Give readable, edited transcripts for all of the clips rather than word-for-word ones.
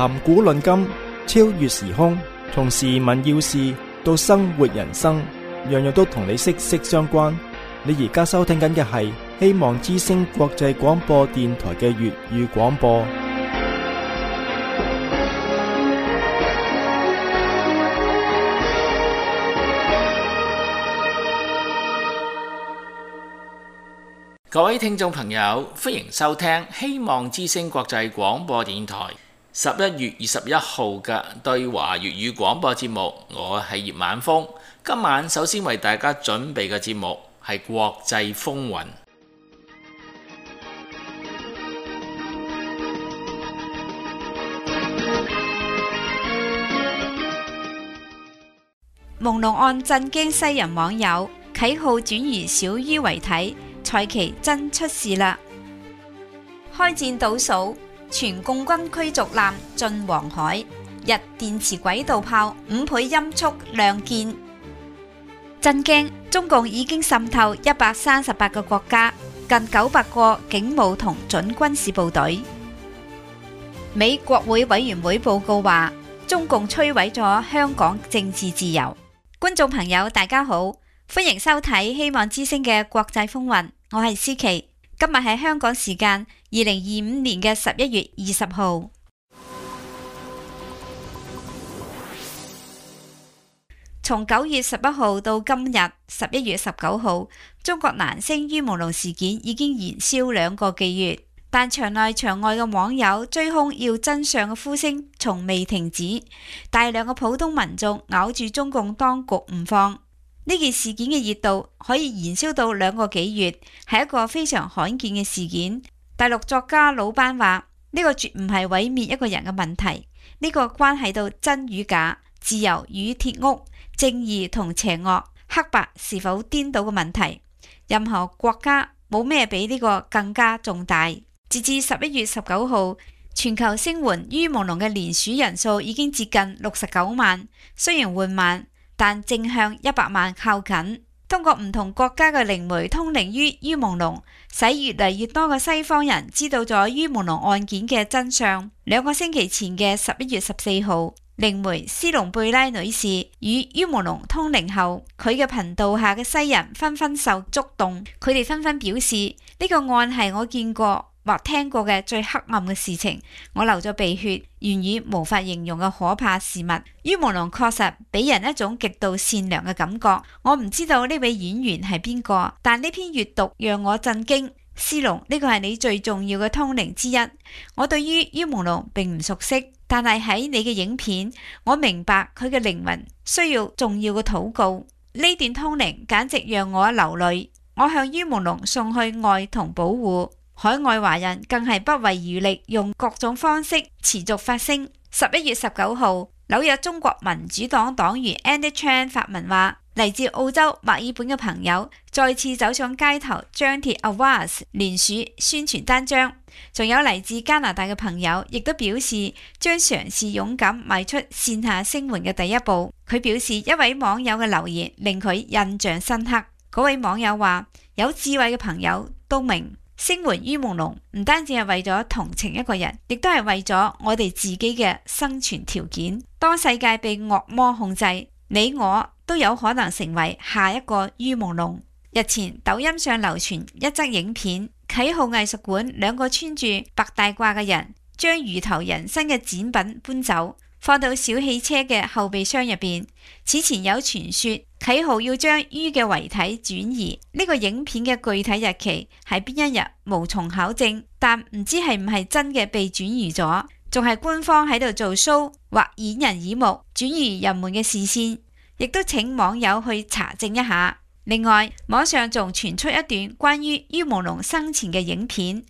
談古論今，超越時空，從時聞要事到生活人生，樣樣都同你息息相關。你而家收聽緊嘅係希望之聲國際廣播電台嘅粵語廣播。各位聽眾朋友，歡迎收聽希望之聲國際廣播電台11月21號嘅對華粵語廣播節目。我係葉晚風，今晚首先為大家準備嘅節目係國際風雲。朦朧案震驚西人網友，啟號轉移小於遺體，蔡奇真出事啦！開戰倒數，全共軍驅逐艦進黃海，日電磁軌道炮5倍音速亮劍。震驚！中共已經滲透138個國家，近900個警務同準軍事部隊。美國會委員會報告話，中共摧毀咗香港政治自由。觀眾朋友大家好，歡迎收睇希望之聲嘅國際風雲，我係思琪。今日係香港時間2025年嘅11月20號。從9月11號到今日11月19號，中國男星于朦朧事件已經燃燒2個幾月，但場內場外嘅網友追兇要真相嘅呼聲從未停止，大量嘅普通民眾咬住中共當局唔放。呢件事件嘅熱度可以燃燒到2個幾月，係一個非常罕見嘅事件。大陸作家魯班話：呢個絕唔係毀滅一個人嘅問題，呢個關係到真與假、自由與鐵屋、正義同邪惡、黑白是否顛倒嘅問題。任何國家冇咩比呢個更加重大。截至11月19號，全球聲援于朦朧嘅連署人數已經接近69萬，雖然緩慢，但正向100萬靠近。通過唔同國家嘅靈媒通靈於于朦朧，使越嚟越多嘅西方人知道咗于朦朧案件嘅真相。2個星期前嘅11月14號，靈媒斯隆貝拉女士與于朦朧通靈後，佢嘅頻道下嘅西人紛紛受觸動，佢哋紛紛表示呢個案係我見過或聽過嘅最黑暗嘅事情，我流咗鼻血，言語無法形容嘅可怕事物。于朦朧確實俾人一種極度善良嘅感覺。我唔知道呢位演員係邊個，但呢篇閱讀讓我震驚。斯隆，呢個係你最重要嘅通靈之一。我對於于朦朧並唔熟悉，但係喺你嘅影片，我明白佢嘅靈魂需要重要嘅禱告。呢段通靈簡直讓我流淚。我向于朦朧送去愛同保護。海外華人更係不遺餘力，用各種方式持續發聲。11月19號，紐約中國民主黨黨員 Andy Chan 發文話，嚟自澳洲墨爾本嘅朋友再次走上街頭張貼 Avaz 連署宣傳單張，仲有嚟自加拿大嘅朋友亦都表示將嘗試勇敢邁出線下聲援嘅第一步。佢表示一位網友嘅留言令佢印象深刻。嗰位網友話，有智慧嘅朋友都明，聲援于朦朧唔單止係為咗同情一個人，亦都係為咗我哋自己嘅生存條件。當世界被惡魔控制，你我都有可能成為下一個于朦朧。日前抖音上流傳一則影片，啟浩藝術館2個穿住白大褂嘅人將魚頭人身嘅展品搬走，放到小汽車嘅後備箱入邊。此前有傳說啟浩要將于嘅遺體轉移，呢個影片嘅具體日期係邊一日無從考證，但唔知係唔係真嘅被轉移咗，仲係官方喺度做 show 或掩人耳目，轉移人們嘅視線，亦都請網友去查證一下。另外，網上仲傳出一段關於于朦朧生前嘅影片，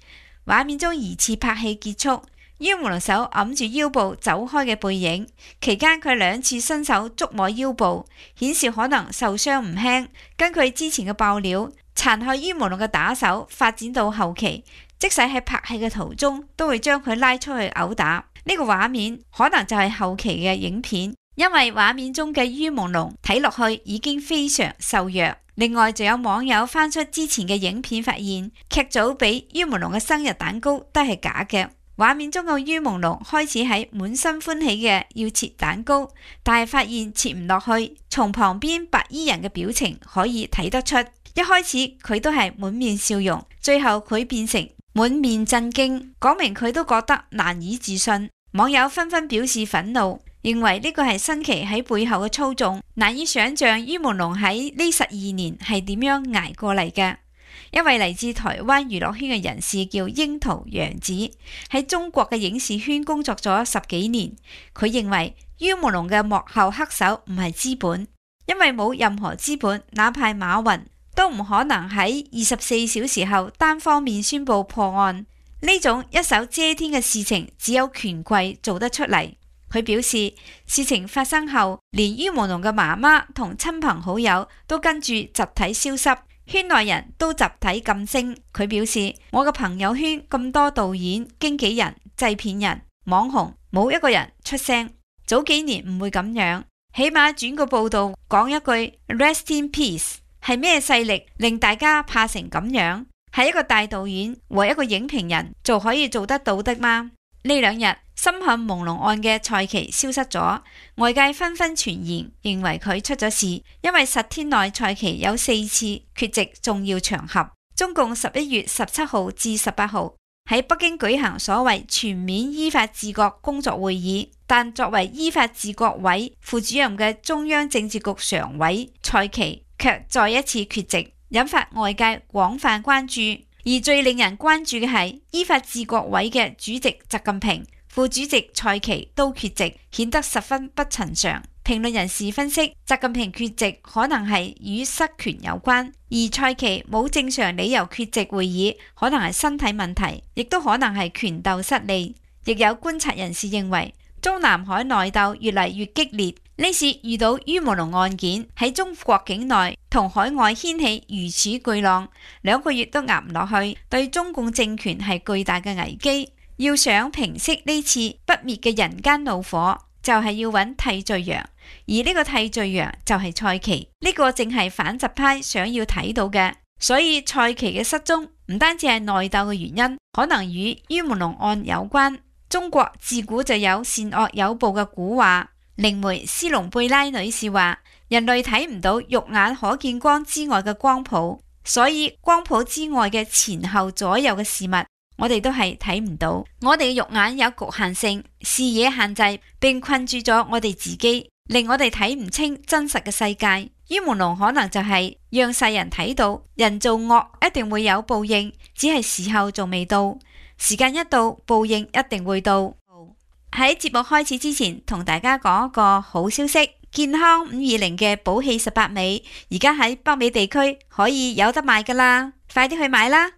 畫面中疑似拍戲結束，于朦朧手揞住腰部走開嘅背影，期間佢2次伸手觸摸腰部，顯示可能受傷唔輕。根據之前嘅爆料，殘害于朦朧嘅打手發展到後期，即使喺拍戲嘅途中都會將佢拉出去毆打。呢個畫面可能就係後期嘅影片，因為畫面中嘅于朦朧睇落去已經非常瘦弱。另外，就有網友翻出之前嘅影片，發現劇組俾于朦朧嘅生日蛋糕都係假嘅。畫面中嘅於朦朧開始喺滿心歡喜嘅要切蛋糕，但係發現切唔落去。從旁邊白衣人嘅表情可以睇得出，一開始佢都係滿面笑容，最後佢變成滿面震驚，講明佢都覺得難以置信。網友紛紛表示憤怒，認為呢個係新奇喺背後嘅操縱，難以想象於朦朧喺呢12年係點樣捱過嚟嘅。一位嚟自台灣娛樂圈嘅人士叫櫻桃洋子，喺中國嘅影視圈工作咗10幾年。佢認為於朦朧嘅幕後黑手唔係資本，因為冇任何資本，哪怕馬雲都唔可能喺24小時後單方面宣布破案。呢種一手遮天嘅事情，只有權貴做得出嚟。佢表示，事情發生後，連於朦朧嘅媽媽同親朋好友都跟住集體消失。圈內人都集體噤聲。佢表示，我嘅朋友圈咁多導演、經紀人、製片人、網紅，冇一個人出聲。早幾年唔會咁樣，起碼轉個報道講一句 Rest in peace。係咩勢力令大家怕成咁樣？係一個大導演和一個影評人就可以做得到的嗎？呢2日深陷朦朧案嘅蔡奇消失咗，外界紛紛傳言認為佢出咗事，因為10天內蔡奇有4次缺席重要場合。中共11月17號至18號喺北京舉行所謂全面依法治國工作會議，但作為依法治國委副主任嘅中央政治局常委蔡奇卻再一次缺席，引發外界廣泛關注。而最令人關注嘅係依法治國委嘅主席習近平、副主席蔡奇都缺席，顯得十分不尋常。評論人士分析，習近平缺席可能係與失權有關，而蔡奇冇正常理由缺席會議，可能係身體問題，亦都可能係權鬥失利。亦有觀察人士認為，中南海內鬥越嚟越激烈，呢次遇到於朦朧案件喺中國境內同海外掀起如此巨浪，2個月都壓唔落去，對中共政權係巨大嘅危機。要想平息呢次不滅嘅人間怒火，就係要揾替罪羊，而呢個替罪羊就係蔡奇，呢個正係反習派想要睇到嘅。所以蔡奇嘅失蹤唔單止係內鬥嘅原因，可能與於朦朧案有關。中國自古就有善惡有報嘅古話，靈媒斯隆貝拉女士話，人類睇唔到肉眼可見光之外嘅光譜，所以光譜之外嘅前後左右嘅事物，我哋都係睇唔到。我哋嘅肉眼有局限性，視野限制，並困住咗我哋自己，令我哋睇唔清真實嘅世界。於朦朧可能就係讓世人睇到，人做惡一定會有報應，只係時候仲未到。時間一到，報應一定會到。喺節目開始之前，同大家講一個好消息，健康520嘅寶氣18味，而家喺北美地區可以有得賣噶啦，快啲去買啦！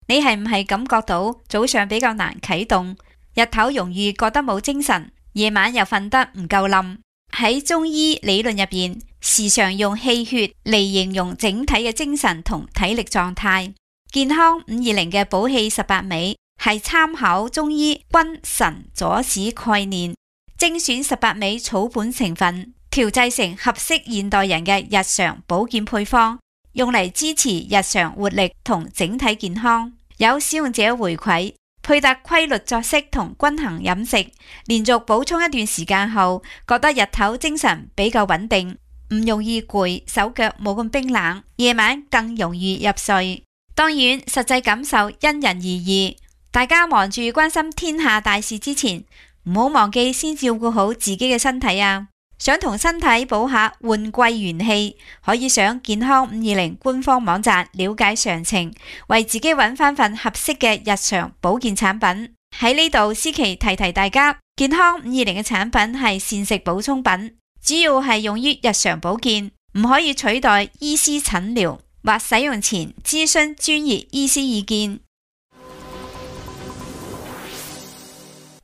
你係唔係感覺到早上比較難啟動，日頭容易覺得冇精神，夜晚又瞓得唔夠冧？喺中醫理論入邊，時常用氣血嚟形容整體嘅精神同體力狀態。健康520嘅寶氣18味係參考中醫君臣佐使概念，精選18味草本成分，調製成合適現代人嘅日常保健配方，用嚟支持日常活力同整體健康。有使用者回饋，配搭規律作息同均衡飲食，連續補充一段時間後，覺得日頭精神比較穩定，唔容易攰，手腳冇咁冰冷，夜晚更容易入睡。當然，實際感受因人而異。大家忙住關心天下大事之前，唔好忘記先照顧好自己嘅身體啊！想同身體補下換季元氣，可以上健康520官方網站了解詳情，為自己揾翻份合適嘅日常保健產品。喺呢度，思琪提提大家，健康520嘅產品係膳食補充品，主要係用於日常保健，唔可以取代醫師診療，或使用前諮詢專業醫師意見。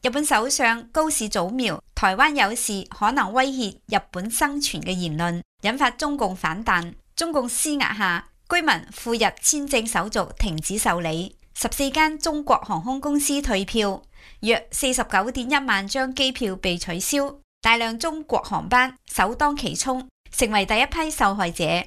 日本首相高市早苗台灣有事可能威脅日本生存嘅言論，引發中共反彈。中共施壓下，居民赴日簽證手續停止受理，14間中國航空公司退票，約49.1萬張機票被取消，大量中國航班首當其衝，成為第一批受害者。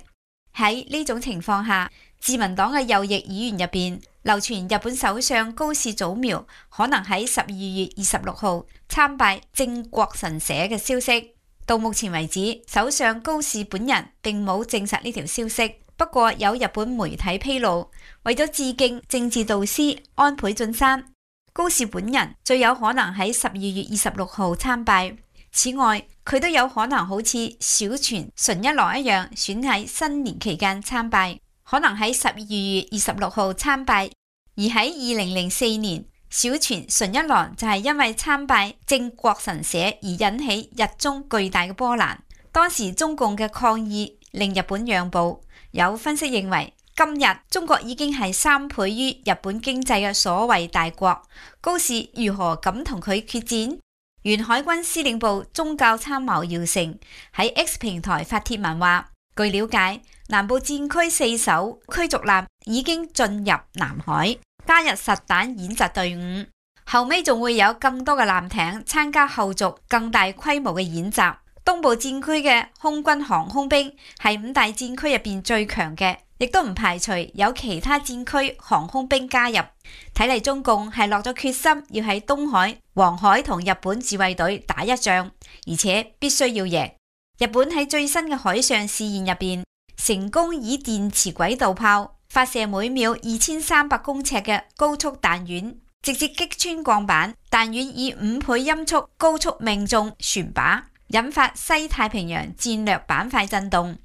喺呢種情況下，自民黨嘅右翼議員入邊流傳日本首相高市早苗可能喺12月26號參拜靖國神社嘅消息。到目前為止，首相高市本人並冇證實呢條消息。不過有日本媒體披露，為咗致敬政治導師安倍晉三，高市本人最有可能喺12月26號參拜。此外，佢都有可能好似小泉純一郎一樣，選喺新年期間參拜，可能喺12月26號參拜。而喺2004年，小泉純一郎就係因為參拜靖國神社而引起日中巨大嘅波瀾。當時中共嘅抗議令日本讓步。有分析認為，今日中國已經係3倍於日本經濟嘅所謂大國，高市如何敢同佢決戰？原海軍司令部宗教參謀姚成喺 X 平台發帖文話，據了解，南部戰區4艘驅逐艦已經進入南海，加入實彈演習隊伍，後尾仲會有更多嘅艦艇參加後續更大規模嘅演習。東部戰區嘅空軍航空兵係5大戰區入邊最強嘅，亦都唔排除有其他戰區航空兵加入。睇嚟中共係落咗決心要喺東海、黃海同日本自衛隊打一仗，而且必須要贏。日本喺最新嘅海上試驗入邊，成功以電磁軌道炮發射每秒2300公尺嘅高速彈丸，直接擊穿鋼板，彈丸以5倍音速高速命中船靶，引發西太平洋戰略板塊震動。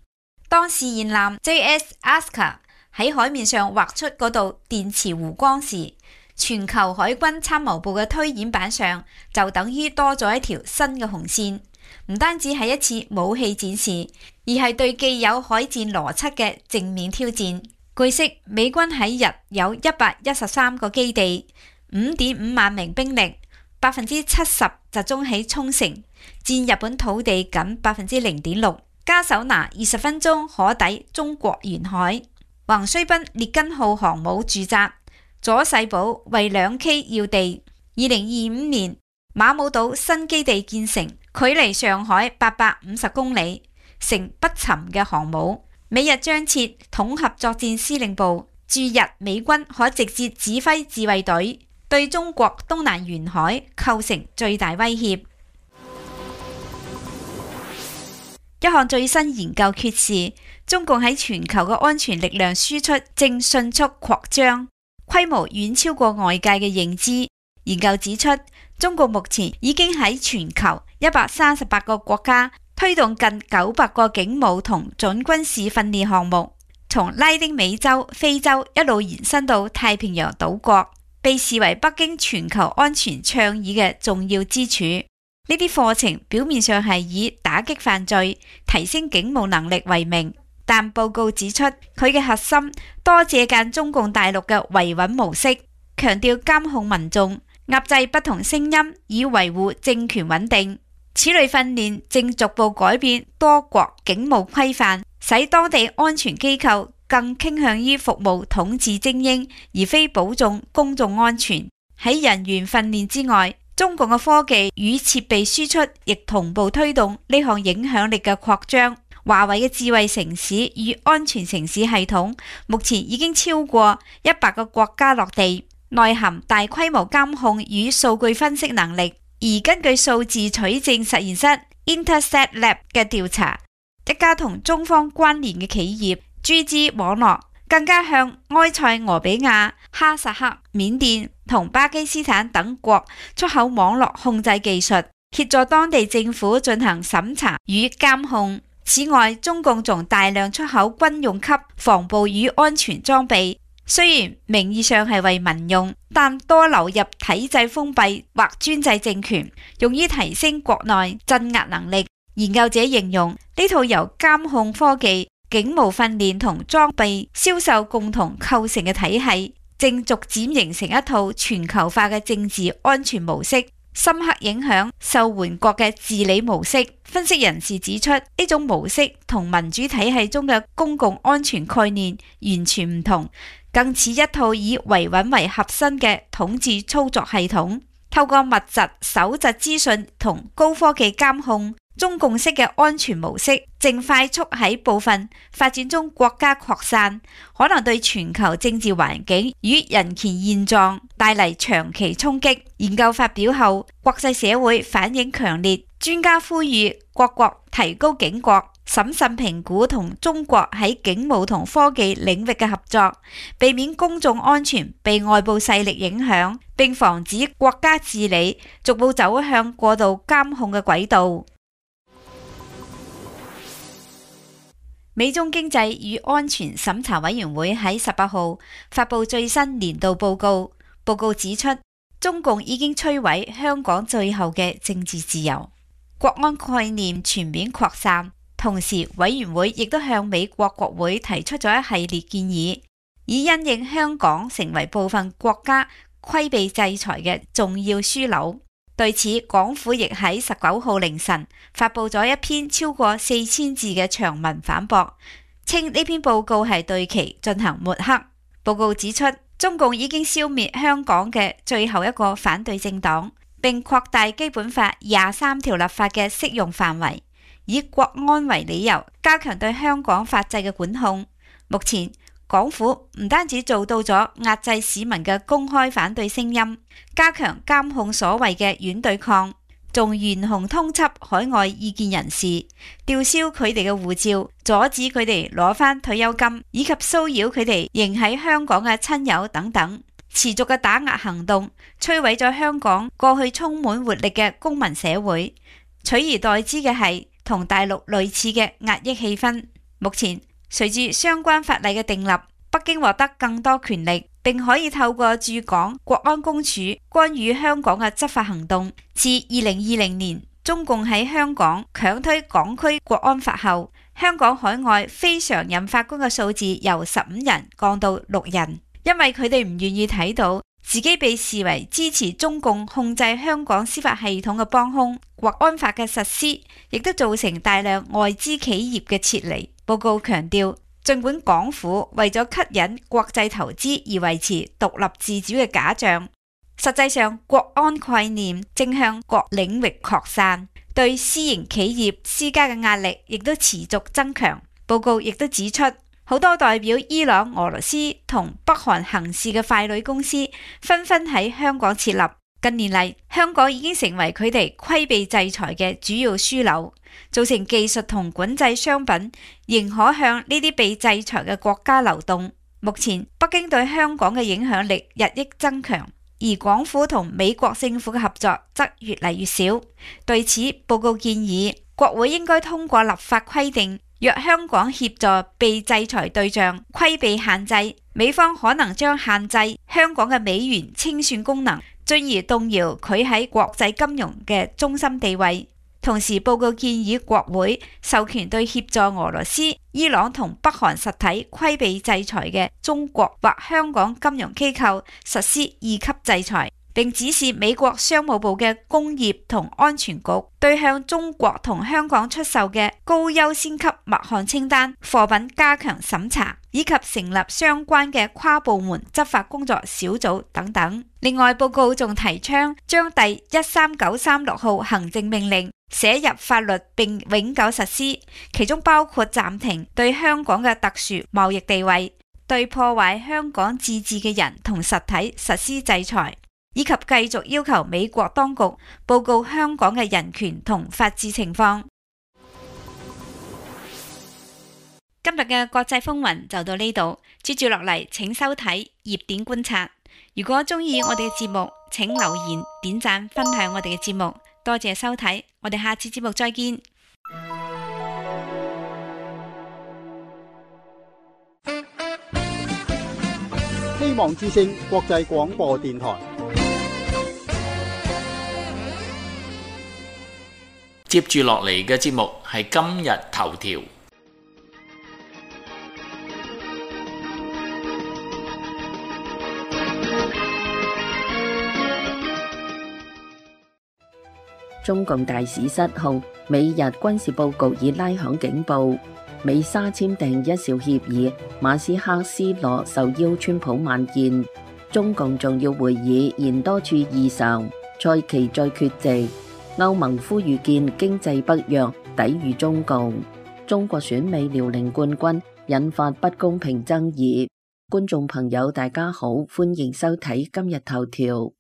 當試驗艦 JS Asuka 喺海面上畫出嗰道電磁弧光時，全球海軍參謀部嘅推演板上就等於多咗一條新嘅紅線。唔單止係一次武器展示，而係對既有海戰邏輯嘅正面挑戰。據悉，美軍喺日有113個基地，5.5萬名兵力，70%集中喺沖繩，佔日本土地僅0.6%，加手拿20分鐘可抵中國沿海。橫須濱列根號航母駐紮，佐世保為2K 要地。2025年馬武島新基地建成，距離上海850公里，成不沉嘅航母。美日將設統合作戰司令部，駐日美軍可直接指揮自衛隊，對中國東南沿海構成最大威脅。一項最新研究揭示，中共喺全球嘅安全力量輸出正迅速擴張，規模遠超過外界嘅認知。研究指出，中國目前已經喺全球138個國家推動近900個警務同準軍事訓練項目，從拉丁美洲、非洲一路延伸到太平洋島國，被視為北京全球安全倡議嘅重要支柱。呢啲課程表面上係以打擊犯罪、提升警務能力為名，但報告指出，佢嘅核心多借鑑中共大陸嘅維穩模式，強調監控民眾、壓制不同聲音，以維護政權穩定。此類訓練正逐步改變多國警務規範，使當地安全機構更傾向於服務統治精英，而非保重公眾安全。喺人員訓練之外，中共嘅科技與設備輸出亦同步推動呢項影響力嘅擴張。華為嘅智慧城市與安全城市系統目前已經超過100個國家落地，內含大規模監控與數據分析能力。而根據數字取證實驗室 Intercept Lab 嘅調查，一家同中方關聯嘅企業 GG 網絡更加向埃塞俄比亞、哈薩克、緬甸同巴基斯坦等國出口網絡控制技術，協助當地政府進行審查與監控。此外，中共仲大量出口軍用級防暴與安全裝備，雖然名義上係為民用，但多流入體制封閉或專制政權，用於提升國內鎮壓能力。研究者形容呢套由監控科技、警務訓練同裝備銷售共同構成嘅體系，正逐漸形成一套全球化嘅政治安全模式，深刻影響受援國嘅治理模式。分析人士指出，呢種模式同民主體系中嘅公共安全概念完全唔同，更似一套以維穩為核心嘅統治操作系統，透過密集搜集資訊同高科技監控，中共式嘅安全模式正快速喺部分發展中國家擴散，可能對全球政治環境與人權現狀帶嚟長期衝擊。研究發表後，國際社會反應強烈，專家呼籲各國提高警覺，審慎評估同中國喺警務同科技領域嘅合作，避免公眾安全被外部勢力影響，並防止國家治理逐步走向過度監控嘅軌道。美中經濟與安全審查委員會喺18號發布最新年度報告，報告指出，中共已經摧毀香港最後嘅政治自由，國安概念全面擴散。同時，委員會亦都向美國國會提出咗一系列建議，以因應香港成為部分國家規避制裁嘅重要樞紐。對此，港府亦喺19號凌晨發布咗一篇超過4000字嘅長文反駁，稱呢篇報告係對其進行抹黑。報告指出，中共已經消滅香港嘅最後一個反對政黨，並擴大基本法23條立法嘅適用範圍，以國安為理由加強對香港法制嘅管控。目前，港府唔單止做到咗壓制市民嘅公開反對聲音，加強監控所謂嘅軟對抗，仲懸紅通緝海外意見人士，吊銷佢哋嘅護照，阻止佢哋攞返退休金，以及騷擾佢哋仍喺香港嘅親友等等。持續嘅打壓行動摧毀咗香港過去充滿活力嘅公民社會，取而代之嘅係同大陸類似嘅壓抑氣氛。目前隨住相關法例嘅訂立，北京獲得更多權力，並可以透過駐港國安公署干預香港嘅執法行動。自2020年中共喺香港強推港區國安法後，香港海外非常任法官嘅數字由15人降到6人，因為佢哋唔願意睇到自己被視為支持中共控制香港司法系統嘅幫兇。國安法嘅實施亦都造成大量外資企業嘅撤離。報告強調，儘管港府為咗吸引國際投資而維持獨立自主嘅假象，實際上國安概念正向各領域擴散，對私營企業施加嘅壓力亦都持續增強。報告亦都指出，好多代表伊朗、俄羅斯同北韓行事嘅傀儡公司紛紛喺香港設立。近年嚟，香港已經成為佢哋規避制裁嘅主要樞紐，造成技術同管制商品仍可向呢啲被制裁嘅國家流動。目前，北京對香港嘅影響力日益增強，而港府同美國政府嘅合作則越嚟越少。對此，報告建議國會應該通過立法規定，若香港協助被制裁對象規避限制，美方可能將限制香港嘅美元清算功能，進而動搖佢喺國際金融嘅中心地位。同時，報告建議國會授權對協助俄羅斯、伊朗同北韓實體規避制裁嘅中國或香港金融機構實施2級制裁，並指示美國商務部嘅工業同安全局對向中國同香港出售嘅高優先級默漢清單貨品加強審查，以及成立相關嘅跨部門執法工作小組等等。另外，報告仲提倡將第13936號行政命令寫入法律並永久實施，其中包括暫停對香港嘅特殊貿易地位，對破壞香港自治嘅人同實體實施制裁，以及繼續要求美國當局報告香港嘅人權同法治情況。今日嘅國際風雲就到呢度，接住落嚟請收睇熱點觀察。如果中意我哋嘅節目，請留言、點讚、分享我哋嘅節目。多謝收睇，我哋下次節目再見。希望之聲國際廣播電台。接住落嚟嘅節目係今日頭條。中共大使失控，美日軍事佈局已拉響警報。美沙簽訂一兆協議，馬斯克斯諾受邀川普晚宴。中共重要會議延多處異常，蔡奇再缺席。歐盟呼籲建經濟北約，抵禦中共。中國選美遼寧冠軍引發不公平爭議。觀眾朋友大家好，歡迎收睇今日頭條。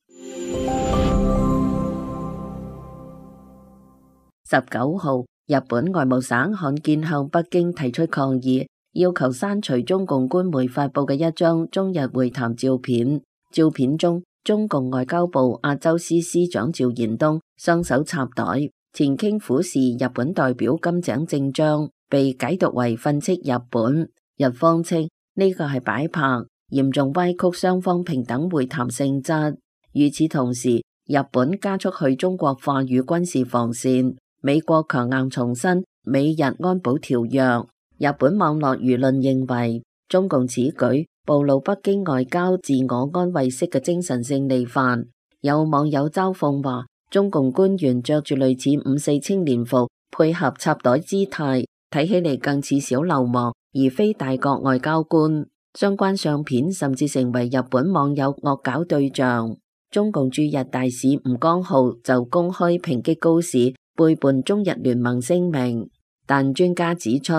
19號，日本外務省罕見向北京提出抗議，要求刪除中共官媒發佈嘅一張中日會談照片。照片中，中共外交部亞洲司司長趙延東雙手插袋，前傾俯視日本代表金井正章，被解讀為訓斥日本。日方稱呢個係擺拍，嚴重歪曲雙方平等會談性質。與此同時，日本加速去中國化與軍事防線，美國強硬重申美日安保條約。日本網絡輿論認為，中共此舉暴露北京外交自我安慰式嘅精神勝利範。有網友嘲諷話，中共官員着住類似5.4青年服，配合插袋姿態，睇起嚟更似小流氓，而非大國外交官。相關相片甚至成為日本網友惡搞對象。中共駐日大使吳江浩就公開抨擊高市背叛中日聯盟聲明，但專家指出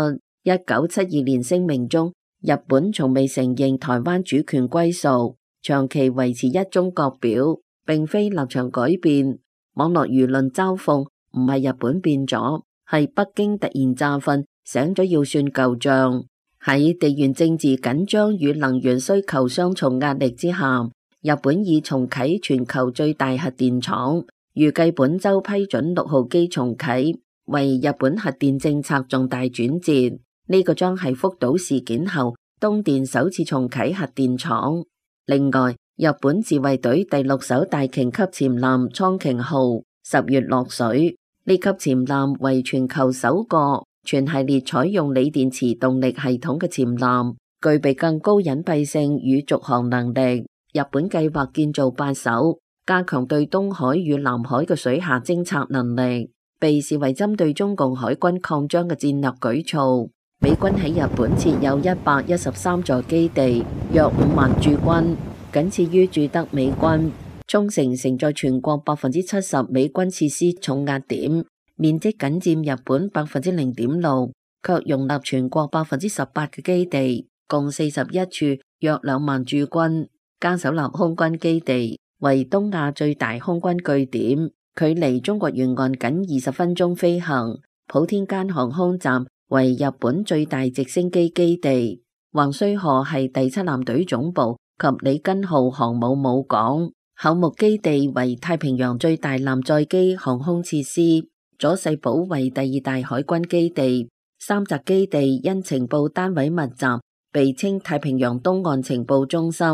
，1972年聲明中，日本從未承認台灣主權歸屬，長期維持一中各表，並非立場改變。網絡輿論嘲諷，唔係日本變咗，係北京突然詐瞓，醒咗要算舊賬。喺地緣政治緊張與能源需求雙重壓力之下，日本已重啟全球最大核電廠，預計本周批准6號機重啟，為日本核電政策重大轉折。呢個將係福島事件後東電首次重啟核電廠。另外，日本自衛隊第6艘大型級潛艦蒼鯨號10月落水。呢級潛艦為全球首個全系列採用鋰電池動力系統嘅潛艦，具備更高隱蔽性與續航能力。日本計劃建造8艘，加強對東海與南海嘅水下偵察能力，被視為針對中共海軍擴張嘅戰略舉措。美軍喺日本設有113座基地，約5萬駐軍，僅次於駐德美軍。沖繩承載全國70%美軍設施重壓點，面積僅佔日本0.6%，卻容納全國18%嘅基地，共41處，約2萬駐軍。加手納空軍基地為東亞最大空軍據點，距離中國沿岸僅20分鐘飛行。普天間航空站為日本最大直升機基地。橫須賀係第7艦隊總部及里根號航母母港。厚木基地為太平洋最大艦載機航空設施。佐世保為第2大海軍基地。三澤基地因情報單位密集，被稱太平洋東岸情報中心。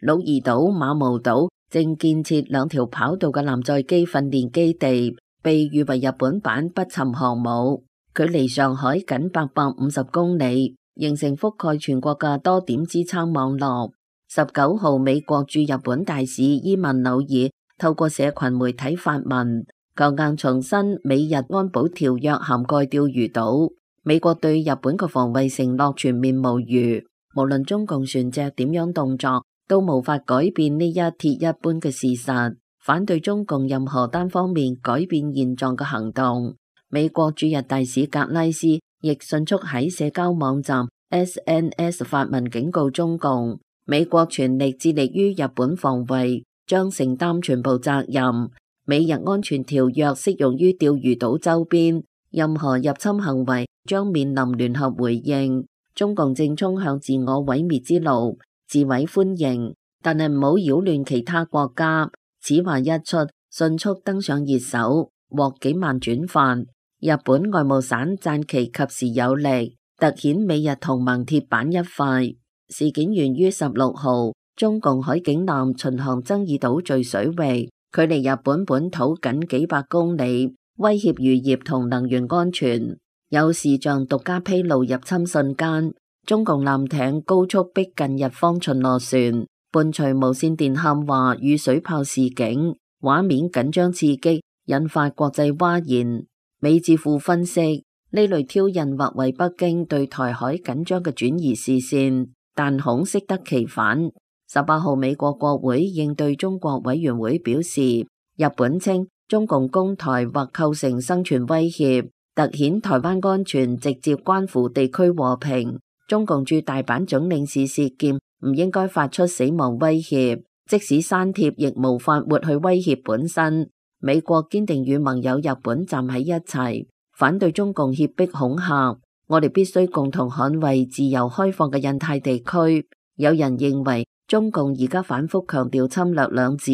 鹿兒島、馬毛島正建設2條跑道嘅艦載機訓練基地，被譽為日本版不沉航母，距離上海僅850公里，形成覆蓋全國嘅多點支撐網絡。19號，美國駐日本大使伊萬紐爾透過社群媒體發文，強硬重申美日安保條約涵蓋釣魚島，美國對日本嘅防衛承諾全面無虞，無論中共船隻點樣動作，都無法改變呢一鐵一般嘅事實，反對中共任何單方面改變現狀嘅行動。美國駐日大使格拉斯亦迅速喺社交網站 SNS 發文警告中共，美國全力致力於日本防衛，將承擔全部責任。美日安全條約適用於釣魚島周邊，任何入侵行為將面臨聯合回應。中共正衝向自我毀滅之路，自毀歡迎，但係唔好擾亂其他國家。此話一出，迅速登上熱搜，獲幾萬轉發。日本外務省讚其及時有力，凸顯美日同盟鐵板一塊。事件源於16號，中共海警艦巡航爭議島嶼水域，距離日本本土僅幾百公里，威脅漁業同能源安全。有視像獨家披露入侵瞬間，中共艦艇高速逼近日方巡邏船，伴隨無線電喊話與水炮示警，畫面緊張刺激，引發國際譁然。美智庫分析，呢類挑釁或為北京對台海緊張嘅轉移視線，但恐適得其反。18號，美國國會應對中國委員會表示，日本稱中共攻台或構成生存威脅，凸顯台灣安全直接關乎地區和平。中共駐大阪總領事薛劍唔應該發出死亡威脅，即使刪帖亦無法抹去威脅本身。美國堅定與盟友日本站喺一齊，反對中共脅迫恐嚇。我哋必須共同捍衛自由開放嘅印太地區。有人認為中共而家反覆強調侵略兩字，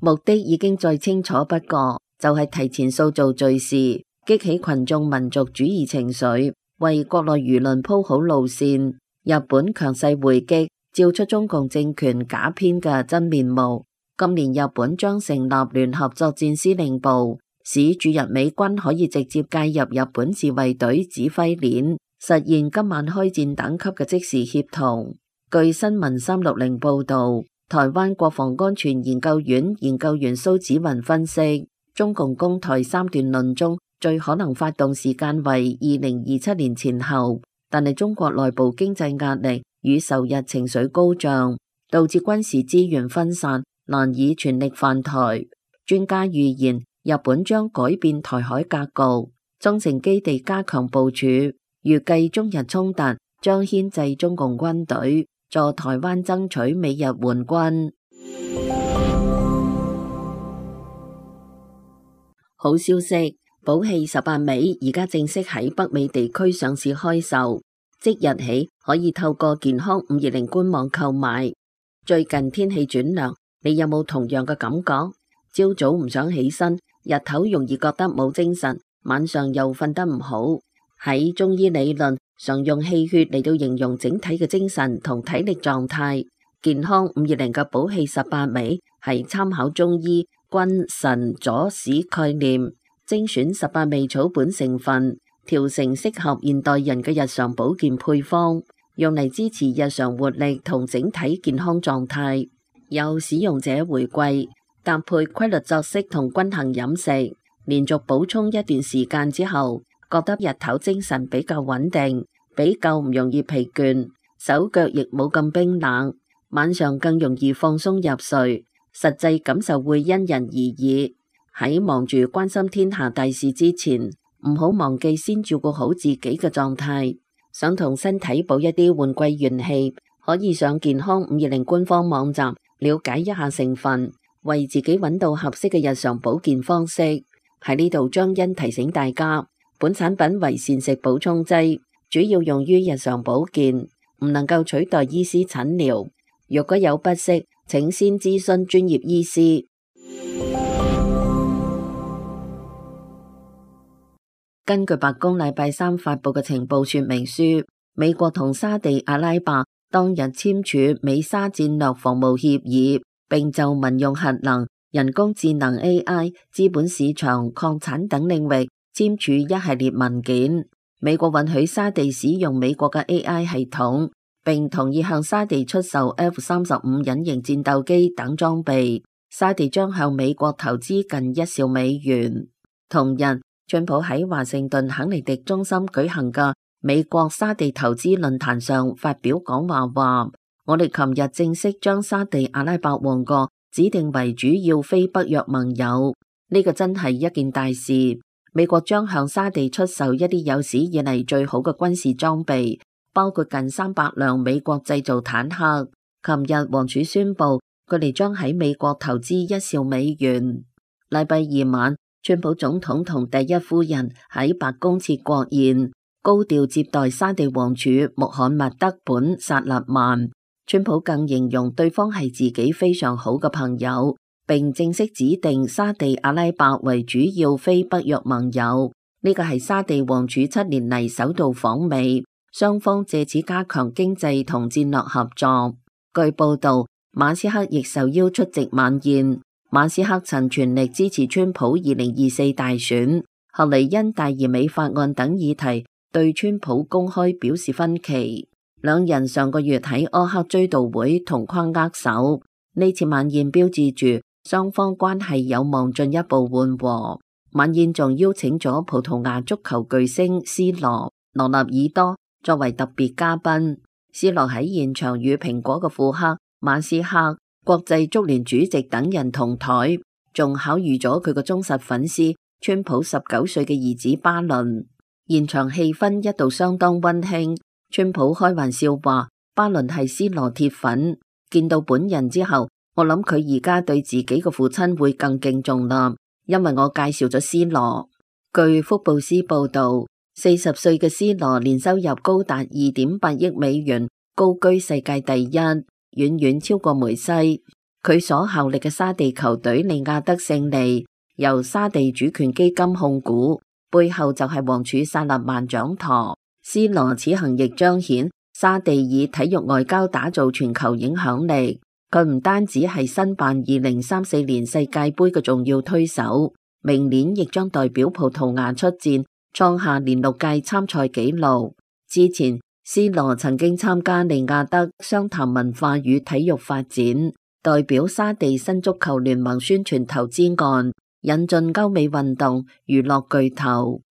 目的已經再清楚不過，就係提前塑造敘事，激起群眾民族主義情緒，為國內輿論鋪好路線。日本強勢回擊，照出中共政權假編嘅真面目。今年日本將成立聯合作戰司令部，使駐日美軍可以直接介入日本自衛隊指揮鏈，實現今晚開戰等級嘅即時協同。據新聞360報道，台灣國防安全研究院研究員蘇紫雲分析，中共攻台三段論中最可能發動時間為2027年前後，但係中國內部經濟壓力與仇日情緒高漲，導致軍事資源分散，難以全力犯台。專家預言，日本將改變台海格局，中程基地加強部署，預計中日衝突將牽制中共軍隊，助台灣爭取美日援軍。好消息，寶氣18味而家正式喺北美地區上市開售，即日起可以透過健康520官網購買。最近天氣轉涼，你有冇同樣嘅感覺？朝早唔想起身，日頭容易覺得冇精神，晚上又瞓得唔好。喺中醫理論，常用氣血嚟到形容整體嘅精神同體力狀態。健康520嘅寶氣18味係參考中醫君臣佐使概念，精選18味草本成分，調成適合現代人嘅日常保健配方，用嚟支持日常活力同整體健康狀態。有使用者回饋，搭配規律作息同均衡飲食，連續補充一段時間之後，覺得日頭精神比較穩定，比較唔容易疲倦，手腳亦冇咁冰冷，晚上更容易放鬆入睡。實際感受會因人而異。喺忙住關心天下大事之前，唔好忘記先照顧好自己嘅狀態。想同身體補一啲換季元氣，可以上健康520官方網站了解一下成分，為自己揾到合適嘅日常保健方式。喺呢度張欣提醒大家，本產品為膳食補充劑，主要用於日常保健，唔能夠取代醫師診療。若果有不適，請先諮詢專業醫師。根據白宮禮拜3發佈嘅情報說明書，美國同沙地阿拉伯當日簽署美沙戰略防務協議，並就民用核能、人工智能 AI、資本市場、礦產等領域簽署一系列文件。美國允許沙地使用美國嘅 AI 系統，並同意向沙地出售 F-35隱形戰鬥機等裝備。沙地將向美國投資近1兆美元。同日，川普喺華盛頓肯尼迪中心舉行嘅美國沙地投資論壇上發表講話，話我哋琴日正式將沙地阿拉伯王國指定為主要非北約盟友，呢個真係一件大事。美國將向沙地出售一啲有史以嚟最好嘅軍事裝備，包括近300輛美國製造坦克。琴日王儲宣布，佢哋將喺美國投資1兆美元。禮拜二晚，川普總統同第一夫人喺白宮設國宴，高調接待沙地王儲穆罕默德本薩勒曼。川普更形容對方係自己非常好嘅朋友，並正式指定沙地阿拉伯為主要非北約盟友。呢個係沙地王儲7年嚟首度訪美，雙方借此加強經濟同戰略合作。據報道，馬斯克亦受邀出席晚宴。馬斯克曾全力支持川普2024大選，後嚟因大而美法案等議題對川普公開表示分歧。兩人上個月喺柯克追悼會同框握手，呢次晚宴標誌住雙方關係有望進一步緩和。晚宴仲邀請咗葡萄牙足球巨星斯羅納爾多作為特別嘉賓。斯羅喺現場與蘋果嘅庫克、馬斯克、國際足聯主席等人同台，仲巧遇咗佢個忠實粉絲川普19歲嘅兒子巴倫。現場氣氛一度相當溫馨，川普開玩笑話巴倫係 C 羅鐵粉，見到本人之後，我諗佢而家對自己嘅父親會更敬重啦，因為我介紹咗 C 羅。據福布斯報道，40歲嘅 C 羅年收入高達2.8億美元，高居世界第一，遠遠超過梅西。佢所效力嘅沙地球隊利雅得勝利由沙地主權基金控股，背後就係王儲薩勒曼掌舵。C 羅此行亦彰顯沙地以體育外交打造全球影響力。佢唔單止係申辦2034年世界盃嘅重要推手，明年亦將代表葡萄牙出戰，創下連6屆參賽紀錄。之前 C 羅曾經參加利雅得商談文化與體育發展，代表沙地新足球聯盟宣傳投資案，引進歐美運動娛樂巨頭。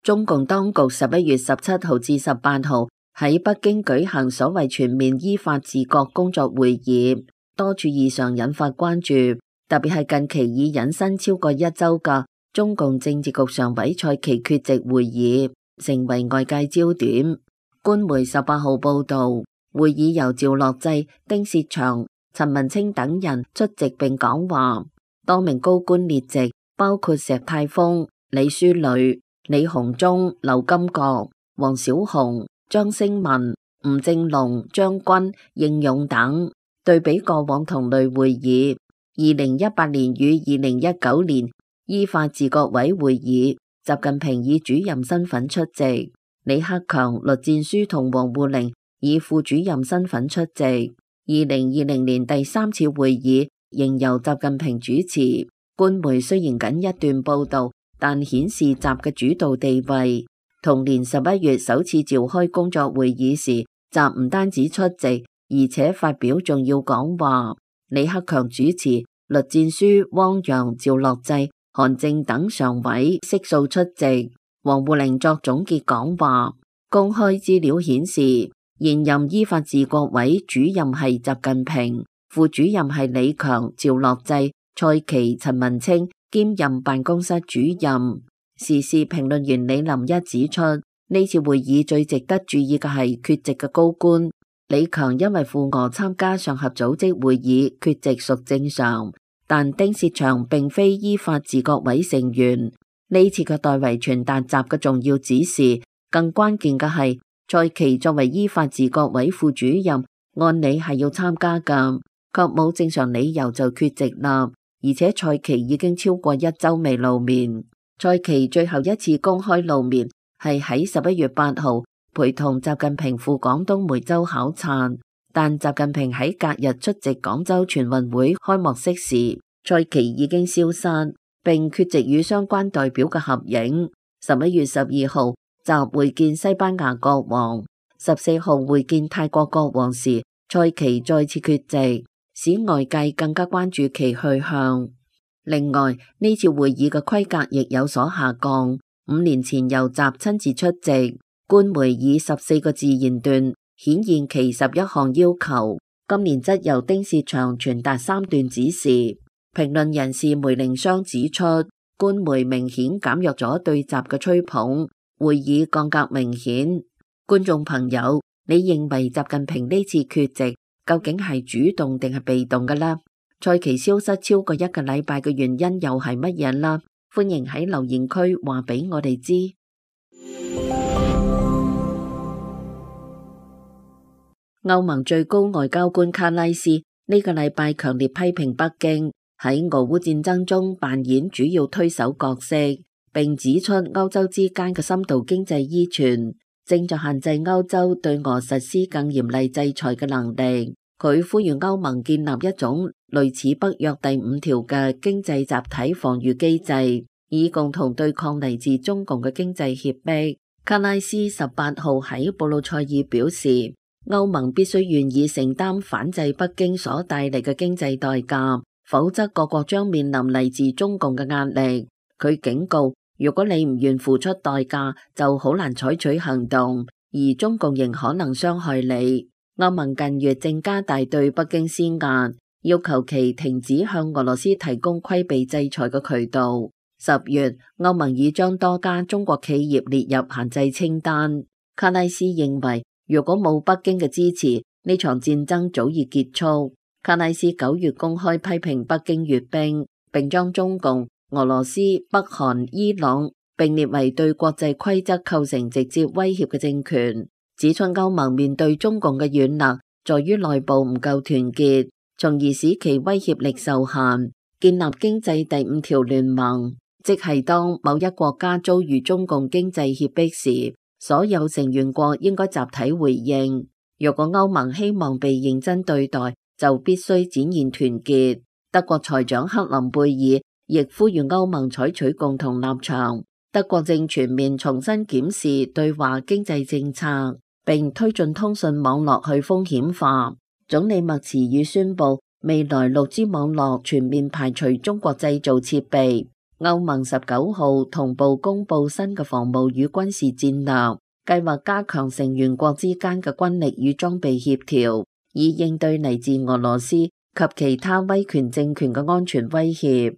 中共當局11月17號至18號喺北京舉行所謂全面依法治國工作會議，多處異常引發關注，特別係近期已引申超過1週嘅中共政治局常委蔡奇缺席會議，成為外界焦點。官媒18號報道，會議由趙樂際、丁薛祥、陳文清等人出席並講話，多名高官列席，包括石泰峰、李書磊、李鴻忠、劉金國、王小洪、張星文、吳政龍、張軍、應勇等。對比過往同類會議，2018年與2019年依法治國委會議，習近平以主任身份出席，李克強、栗戰書同王滬寧以副主任身份出席。2020年第3次會議仍由習近平主持。官媒雖然僅一段報道，但顯示習嘅主導地位。同年11月首次召開工作會議時，習唔單止出席，而且發表重要講話。李克強主持，栗戰書、汪洋、趙樂際、韓正等常委悉數出席。王滬寧作總結講話。公開資料顯示，現任依法治國委主任係習近平，副主任係李強、趙樂際、蔡奇、陳文清，兼任辦公室主任。時事評論員李林一指出，呢次會議最值得注意嘅係缺席嘅高官。李強因為赴俄參加上合組織會議缺席屬正常，但丁薛祥並非依法治國委成員。呢次嘅代為傳達習嘅重要指示，更關鍵嘅係蔡奇作為依法治國委副主任，按理係要參加㗎，卻冇正常理由就缺席啦。而且蔡奇已經超過1週未露面。蔡奇最後一次公開露面係喺11月8號陪同習近平赴廣東梅州考察，但習近平喺隔日出席廣州全運會開幕式時，蔡奇已經消失，並缺席與相關代表嘅合影。11月12號習會見西班牙國王，14號會見泰國國王時，蔡奇再次缺席，使外界更加關注其去向。另外，呢次會議嘅規格亦有所下降。5年前由習親自出席，官媒以14個字言斷，顯現其11項要求。今年則由丁薛祥傳達3段指示。評論人士梅寧湘指出，官媒明顯減弱咗對習嘅吹捧，會議降格明顯。觀眾朋友，你認為習近平呢次缺席究竟係主動定係被動嘅呢？蔡奇消失超過1個禮拜嘅原因又係乜嘢啦？歡迎喺留言區話俾我哋知。歐盟最高外交官卡拉斯呢個禮拜強烈批評北京喺俄烏戰爭中扮演主要推手角色，並指出歐洲之間嘅深度經濟依存正在限制歐洲對俄實施更嚴厲制裁嘅能力。佢呼籲歐盟建立一種類似北約第5條嘅經濟集體防禦機制，以共同對抗嚟自中共嘅經濟脅迫。卡拉斯18號喺布魯塞爾表示，歐盟必須願意承擔反制北京所帶嚟嘅經濟代價，否則各國將面臨嚟自中共嘅壓力。佢警告，如果你唔願付出代價，就好難採取行動，而中共仍可能傷害你。歐盟近月正加大對北京施壓，要求其停止向俄羅斯提供規避制裁嘅渠道。10月，歐盟已將多家中國企業列入限制清單。卡拉斯認為，如果冇北京嘅支持，呢場戰爭早已結束。卡拉斯9月公開批評北京閱兵，並將中共、俄羅斯、北韓、伊朗並列為對國際規則構成直接威脅嘅政權，指出歐盟面對中共嘅軟肋在於內部唔夠團結，從而使其威脅力受限。建立經濟第5條聯盟，即係當某一國家遭遇中共經濟脅迫時，所有成員國應該集體回應。若果歐盟希望被認真對待，就必須展現團結。德國財長克林貝爾亦呼籲歐盟採取共同立場。德國正全面重新檢視對華經濟政策，並推進通訊網絡去風險化。總理默茨爾宣布，未來6G 網絡全面排除中國製造設備。歐盟19號同步公布新嘅防務與軍事戰略，計劃加強成員國之間嘅軍力與裝備協調，以應對嚟自俄羅斯及其他威權政權嘅安全威脅。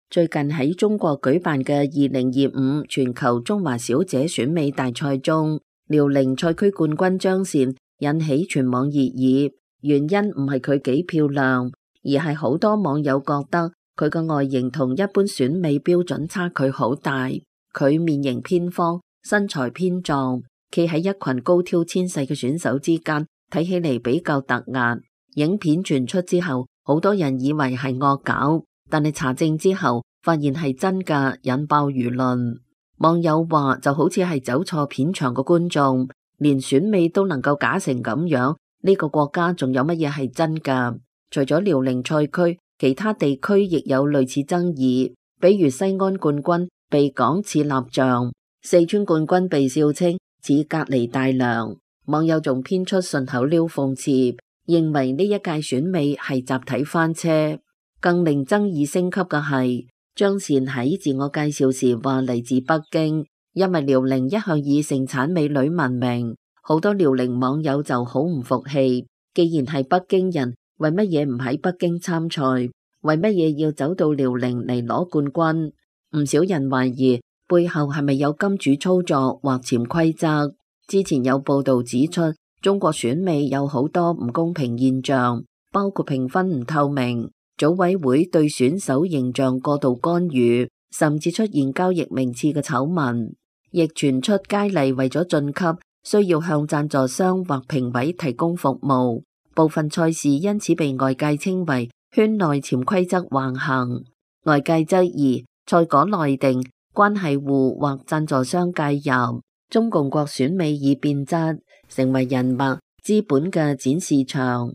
最近喺中國舉辦嘅2025全球中華小姐選美大賽中，遼寧賽區冠軍張倩引起全網熱議。原因唔係佢幾漂亮，而係好多網友覺得佢嘅外形同一般選美標準差距好大。佢面型偏方，身材偏壯，企喺一群高挑纖細嘅選手之間，睇起嚟比較突兀。影片傳出之後，好多人以為係惡搞，但係查證之後發現係真㗎，引爆輿論。網友話就好似係走錯片場嘅觀眾，連選美都能夠假成咁樣。呢個國家仲有乜嘢係真㗎？除咗遼寧賽區，其他地區亦有類似爭議，比如西安冠軍被講似蠟像，四川冠軍被笑稱似隔離大娘。網友仲編出順口溜諷刺，認為呢一屆選美係集體翻車。更令爭議升級嘅係，張倩喺自我介紹時話嚟自北京，因為遼寧一向以盛產美女聞名。好多遼寧網友就好唔服氣，既然係北京人，為乜嘢唔喺北京參賽？為乜嘢要走到遼寧嚟攞冠軍？唔少人懷疑背後係咪有金主操作或潛規則？之前有報道指出，中國選美有好多唔公平現象，包括評分唔透明、組委會對選手形象過度干預，甚至出現交易名次嘅醜聞。亦傳出佳麗為咗晉級，需要向贊助商或評委提供服務，部分賽事因此被外界稱為圈內潛規則橫行。外界質疑賽果內定，關係戶或贊助商介入，中共國選美已變質，成為人脈資本嘅展示場。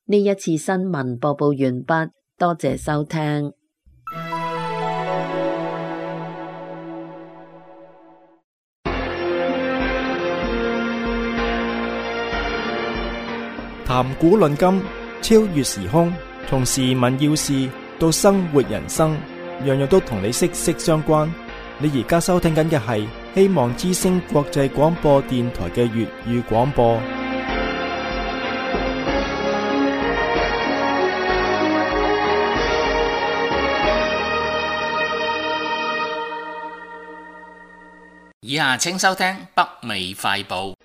呢一次新聞播報完畢，多謝收聽。談古論今，超越時空，從時聞要事到生活人生，樣樣都同你息息相關。你而家收聽緊嘅係希望之聲國際廣播電台嘅粵語廣播。以下請收聽北美快報。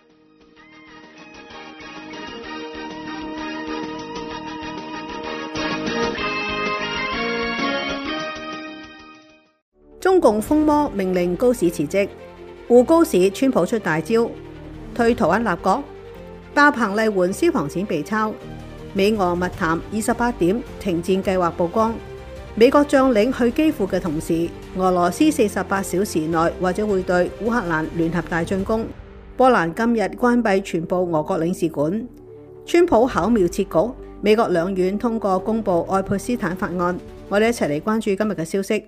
中共風魔命令高市辭職，滬高市川普出大招，退台灣立國，爆棚麗援消防錢被抄，美俄密談28點停戰計劃曝光，美國將領去基輔嘅同時，俄羅斯48小時內或者會對烏克蘭聯合大進攻，波蘭今日關閉全部俄國領事館，川普巧妙設局，美國兩院通過公布愛潑斯坦法案。我哋一齊嚟關注今日嘅消息。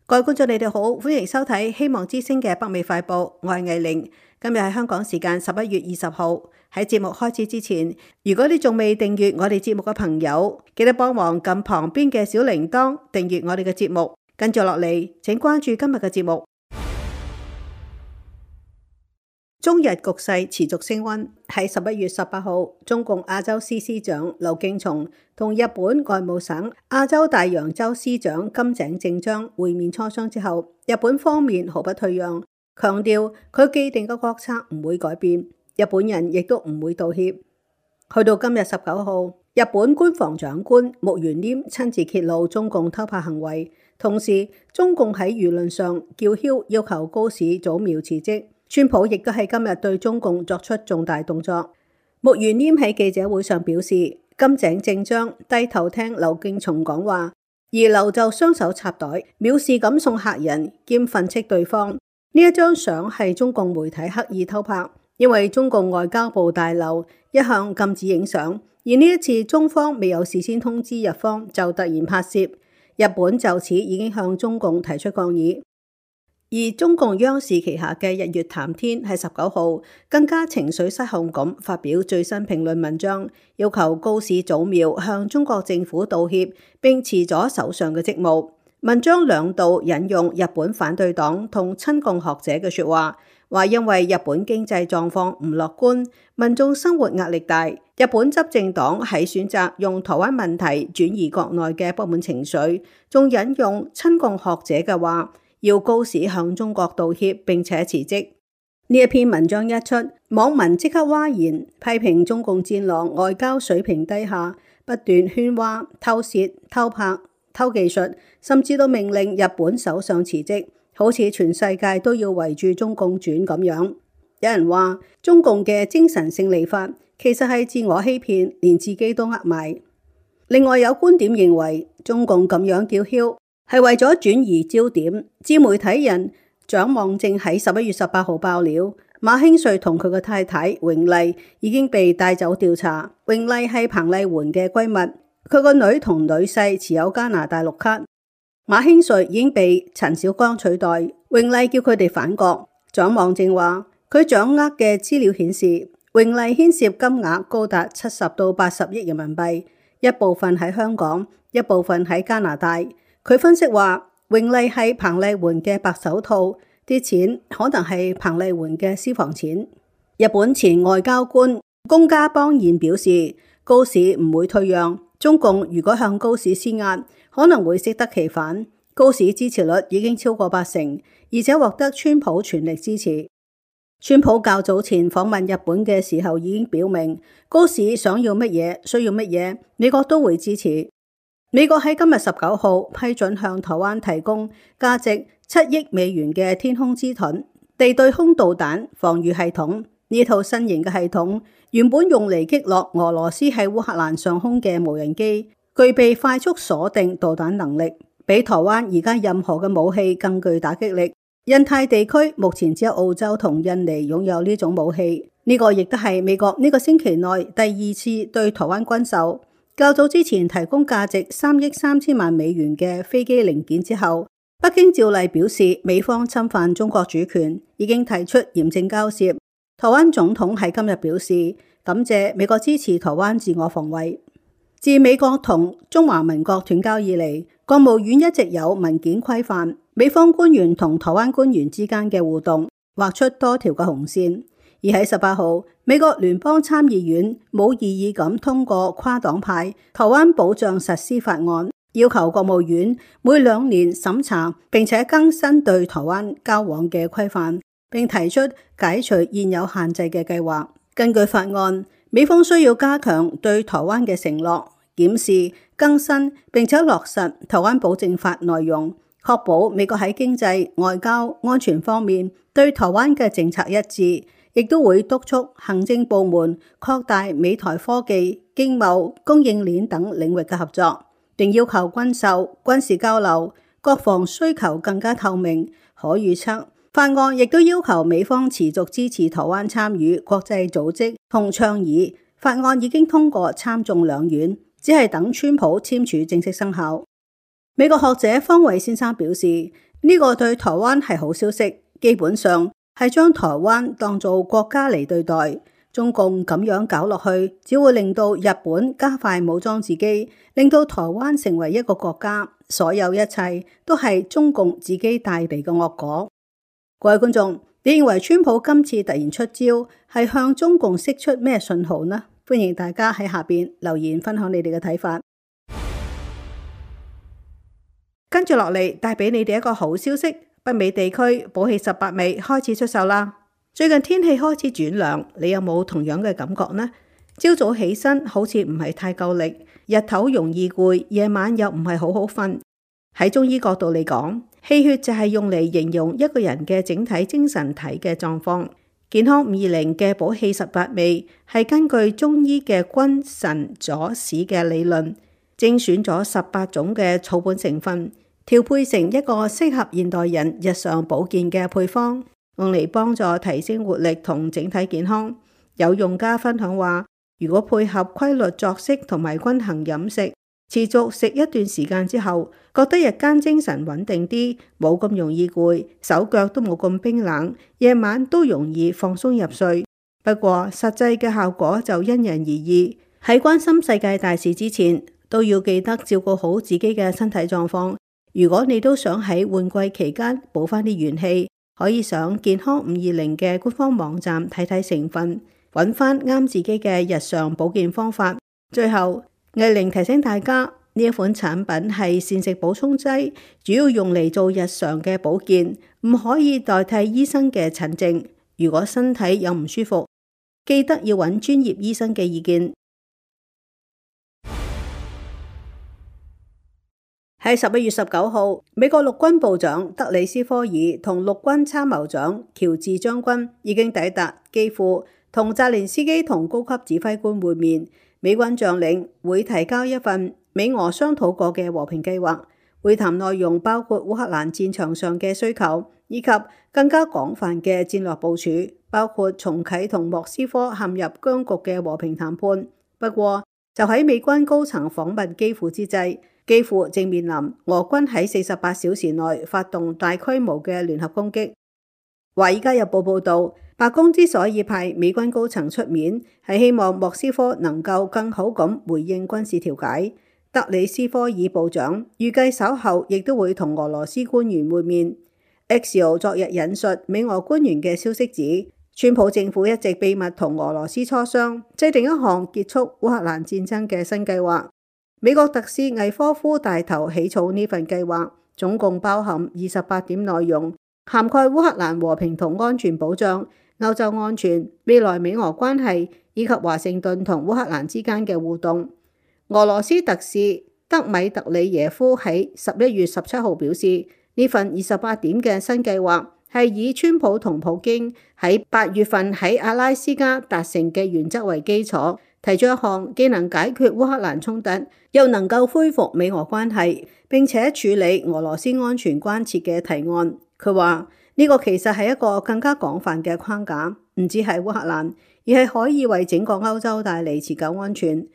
各位觀眾，你哋好，歡迎收睇希望之聲嘅北美快報，我係藝玲。今日係香港時間11月20號。喺節目開始之前，如果你仲未訂閱我哋節目嘅朋友，記得幫忙撳旁邊嘅小鈴鐺訂閱我哋嘅節目。跟住落嚟，請關注今日嘅節目。中日局勢持續升溫。喺11月18號，中共亞洲司司長劉敬松同日本外務省亞洲大洋洲司長金井正章會面磋商之後，日本方面毫不退讓，強調佢既定嘅國策唔會改變，日本人亦都唔會道歉。去到今日19號，日本官房長官木原稔親自揭露中共偷拍行為，同時中共喺輿論上叫囂要求高市早苗辭職。川普亦都喺今日對中共作出重大動作。木原稔喺記者會上表示，金井正章低頭聽劉敬松講話，而劉就雙手插袋，藐視咁送客人兼訓斥對方。呢一張相係中共媒體刻意偷拍，因為中共外交部大樓一向禁止影相，而呢一次中方未有事先通知日方就突然拍攝，日本就此已經向中共提出抗議。而中共央視旗下嘅日月談天喺19號更加情緒失控咁發表最新評論文章，要求高市早苗向中國政府道歉並辭咗首相嘅職務。文章兩度引用日本反對黨同親共學者嘅說話，話因為日本經濟狀況唔樂觀，民眾生活壓力大，日本執政黨喺選擇用台灣問題轉移國內嘅不滿情緒，仲引用親共學者嘅話，要高市向中國道歉並且辭職。呢一篇文章一出，網民即刻譁然，批評中共戰狼外交水平低下，不斷喧嘩、偷竊、偷拍、偷技術，甚至都命令日本首相辭職，好似全世界都要圍住中共轉咁樣。有人話中共嘅精神勝利法其實係自我欺騙，連自己都呃埋。另外有觀點認為，中共咁樣叫囂係為咗轉移焦點。自媒體人蔣望正喺11月18號爆料，馬興瑞同佢嘅太太榮麗已經被帶走調查。榮麗係彭麗媛嘅閨蜜，佢個女同女婿持有加拿大綠卡。馬興瑞已經被陳小江取代，榮麗叫佢哋返國。蔣望正話，佢掌握嘅資料顯示，榮麗牽涉金額高達70到80億人民幣，一部分喺香港，一部分喺加拿大。佢分析話，榮麗係彭麗媛嘅白手套，啲錢可能係彭麗媛嘅私房錢。日本前外交官宮家邦彥表示，高市唔會退讓，中共如果向高市施壓，可能會適得其反。高市支持率已經超過80%，而且獲得川普全力支持。川普較早前訪問日本嘅時候已經表明，高市想要乜嘢、需要乜嘢，美國都會支持。美國喺今日19號批准向台灣提供價值7億美元嘅天空之盾地對空導彈防禦系統。呢套新型嘅系統原本用嚟擊落俄羅斯喺烏克蘭上空嘅無人機，具備快速鎖定導彈能力，比台灣而家任何嘅武器更具打擊力。印太地區目前只有澳洲同印尼擁有呢種武器，呢個亦都係美國呢個星期內第2次對台灣軍售。較早之前提供價值3億3千萬美元嘅飛機零件之後，北京照例表示美方侵犯中國主權，已經提出嚴正交涉。台灣總統喺今日表示，感謝美國支持台灣自我防衛。自美國同中華民國斷交以嚟，國務院一直有文件規範美方官員同台灣官員之間嘅互動，劃出多條嘅紅線。而喺18號，美國聯邦參議院冇異議咁通過跨黨派台灣保障實施法案，要求國務院每2年審查並且更新對台灣交往嘅規範，並提出解除現有限制嘅計劃。根據法案，美方需要加強對台灣嘅承諾，檢視、更新並且落實台灣保證法內容，確保美國喺經濟、外交、安全方面對台灣嘅政策一致。亦都會督促行政部門擴大美台科技、經貿、供應鏈等領域嘅合作，並要求軍售、軍事交流、國防需求更加透明、可預測。法案亦都要求美方持續支持台灣參與國際組織同倡議。法案已經通過參眾兩院，只係等川普簽署正式生效。美國學者方偉先生表示，呢個對台灣係好消息，基本上係將台灣當做國家嚟對待。中共咁樣搞落去，只會令到日本加快武裝自己，令到台灣成為一個國家。所有一切都係中共自己帶嚟嘅惡果。各位觀眾，你認為川普今次突然出招係向中共釋出咩信號呢？歡迎大家喺下邊留言分享你哋嘅睇法。跟住落嚟帶俾你哋一個好消息，北美地區寶氣18味開始出售啦。最近天氣開始轉涼，你有冇同樣嘅感覺呢？朝早起身好似唔係太夠力，日頭容易攰，夜晚又唔係好好瞓。喺中醫角度嚟講，氣血就係用嚟形容一個人嘅整體精神體嘅狀況。健康520嘅寶氣18味係根據中醫嘅君臣佐使嘅理論，精選咗18種嘅草本成分，調配成一個適合現代人日常保健嘅配方，用嚟幫助提升活力同整體健康。有用家分享話，如果配合規律作息同埋均衡飲食，持續食一段時間之後，覺得日間精神穩定啲，冇咁容易攰，手腳都冇咁冰冷，夜晚都容易放鬆入睡。不過實際嘅效果就因人而異。喺關心世界大事之前，都要記得照顧好自己嘅身體狀況。如果你都想喺換季期間補翻啲元氣，可以上健康520嘅官方網站睇睇成分，揾翻啱自己嘅日常保健方法。最後，藝玲提醒大家，呢一款產品係膳食補充劑，主要用嚟做日常嘅保健，唔可以代替醫生嘅診症。如果身體有唔舒服，記得要揾專業醫生嘅意見。喺11月19號，美國陸軍部長德里斯科爾同陸軍參謀長喬治將軍已經抵達基輔，同澤連斯基同高級指揮官會面。美軍將領會提交一份美俄商討過嘅和平計劃，會談內容包括烏克蘭戰場上嘅需求，以及更加廣泛嘅戰略部署，包括重啟同莫斯科陷入僵局嘅和平談判。不過，就喺美軍高層訪問基輔之際，基輔正面臨俄軍喺48小時內發動大規模嘅聯合攻擊。華爾街日報報道，白宮之所以派美軍高層出面，係希望莫斯科能夠更好咁回應軍事調解。德里斯科爾部長預計稍後亦都會同俄羅斯官員會面。Axios 昨日引述美俄官員嘅消息指，川普政府一直秘密同俄羅斯磋商，制定一項結束烏克蘭戰爭嘅新計劃。美國特使魏科夫帶頭起草呢份計劃，總共包含28點內容，涵蓋烏克蘭和平同安全保障、歐洲安全、未來美俄關係以及華盛頓同烏克蘭之間嘅互動。俄羅斯特使德米特里耶夫喺11月17號表示，呢份28點嘅新計劃係以川普同普京喺8月份喺阿拉斯加達成嘅原則為基礎，提出一項既能解決烏克蘭衝突，又能夠恢復美俄關係，並且處理俄羅斯安全關切嘅提案。佢話呢個其實係一個更加廣泛嘅框架，唔止係烏克蘭，而係可以為整個歐洲帶嚟持久安全。